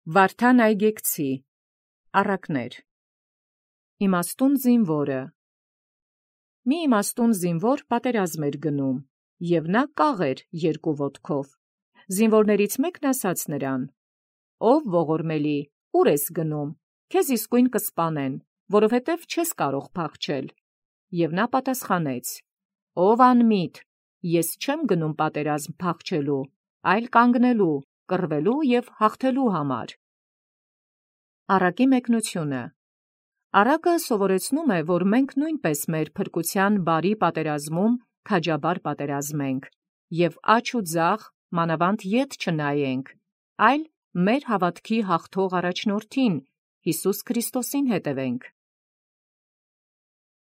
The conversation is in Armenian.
Վարդան այգեկցի, առակներ։ Իմաստուն զինվորը։ Մի իմաստուն զինվոր պատերազմ էր գնում, և նա կաղ էր երկու ոտքով։ Զինվորներից մեկն ասաց նրան. «Ով ողորմելի, ուր ես գնում, քեզ իսկույն կսպանեն, որովհետև չես կարող փախչել»։ Եվ նա պատասխանեց. «Ով անմիտ, ես չեմ գնում պատերազմ փախչելու, այլ կանգնելու, կռվելու և հաղթելու համար»։ Առակի մեկնությունը։ Առակը սովորեցնում է, որ մենք նույնպես մեր փրկության բարի պատերազմում քաջաբար պատերազմենք և աջ ու ձախ, մանավանդ ետ չնայենք, այլ մեր հավատքի հաղթող առաջնորդին՝ Յիսուս Քրիստոսին հետևենք։